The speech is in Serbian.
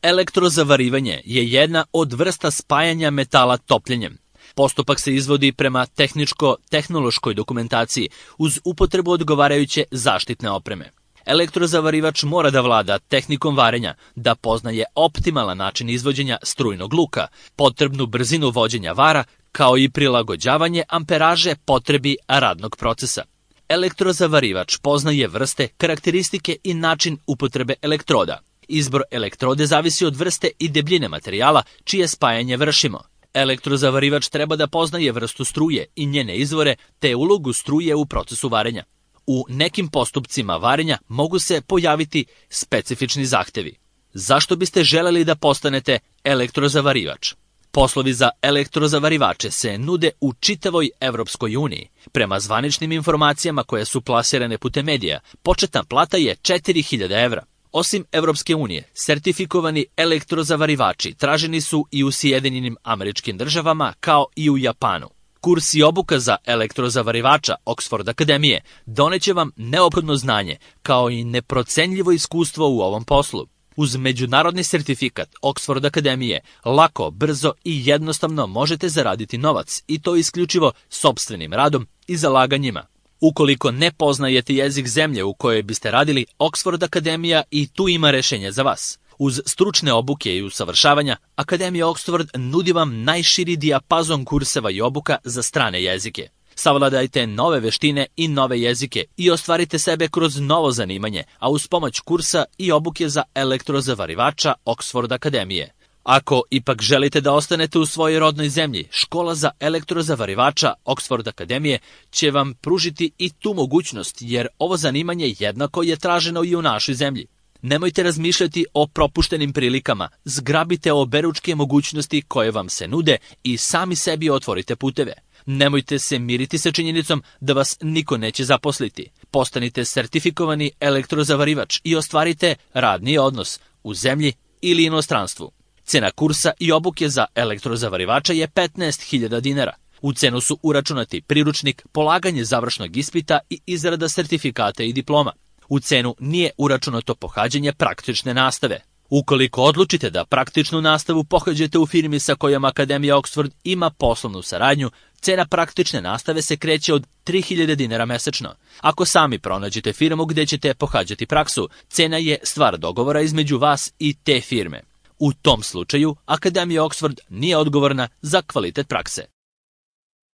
Elektrozavarivanje je jedna od vrsta spajanja metala topljenjem. Postupak se izvodi prema tehničko-tehnološkoj dokumentaciji uz upotrebu odgovarajuće zaštitne opreme. Elektrozavarivač mora da vlada tehnikom varenja, da poznaje optimalan način izvođenja strujnog luka, potrebnu brzinu vođenja vara, kao i prilagođavanje amperaže potrebi radnog procesa. Elektrozavarivač poznaje vrste, karakteristike i način upotrebe elektroda. Izbor elektrode zavisi od vrste i debljine materijala čije spajanje vršimo. Elektrozavarivač treba da poznaje vrstu struje i njene izvore te ulogu struje u procesu varenja. U nekim postupcima varenja mogu se pojaviti specifični zahtevi. Zašto biste želeli da postanete elektrozavarivač? Poslovi za elektrozavarivače se nude u čitavoj Evropskoj uniji. Prema zvaničnim informacijama koje su plasirane putem medija, početna plata je 4000 evra. Osim Evropske unije, sertifikovani elektrozavarivači traženi su i u Sjedinjenim Američkim Državama kao i u Japanu. Kurs i obuka za elektrozavarivača Oxford Akademije doneće vam neophodno znanje kao i neprocenljivo iskustvo u ovom poslu. Uz međunarodni sertifikat Oxford Akademije lako, brzo i jednostavno možete zaraditi novac i to isključivo sopstvenim radom i zalaganjima. Ukoliko ne poznajete jezik zemlje u kojoj biste radili, Oxford Akademija i tu ima rešenje za vas. Uz stručne obuke i usavršavanja, Akademija Oxford nudi vam najširi dijapazon kurseva i obuka za strane jezike. Savladajte nove veštine i nove jezike i ostvarite sebe kroz novo zanimanje, a uz pomoć kursa i obuke za elektrozavarivača Oxford Akademije. Ako ipak želite da ostanete u svojoj rodnoj zemlji, škola za elektrozavarivača Oxford Akademije će vam pružiti i tu mogućnost, jer ovo zanimanje jednako je traženo i u našoj zemlji. Nemojte razmišljati o propuštenim prilikama, zgrabite oberučke mogućnosti koje vam se nude i sami sebi otvorite puteve. Nemojte se miriti sa činjenicom da vas niko neće zaposliti. Postanite sertifikovani elektrozavarivač i ostvarite radni odnos u zemlji ili inostranstvu. Cena kursa i obuke za elektrozavarivača je 15.000 dinara. U cenu su uračunati priručnik, polaganje završnog ispita i izrada sertifikata i diploma. U cenu nije uračunato pohađanje praktične nastave. Ukoliko odlučite da praktičnu nastavu pohađate u firmi sa kojom Akademija Oxford ima poslovnu saradnju, cena praktične nastave se kreće od 3.000 dinara mesečno. Ako sami pronađete firmu gde ćete pohađati praksu, cena je stvar dogovora između vas i te firme. U tom slučaju, Akademija Oxford nije odgovorna za kvalitet prakse.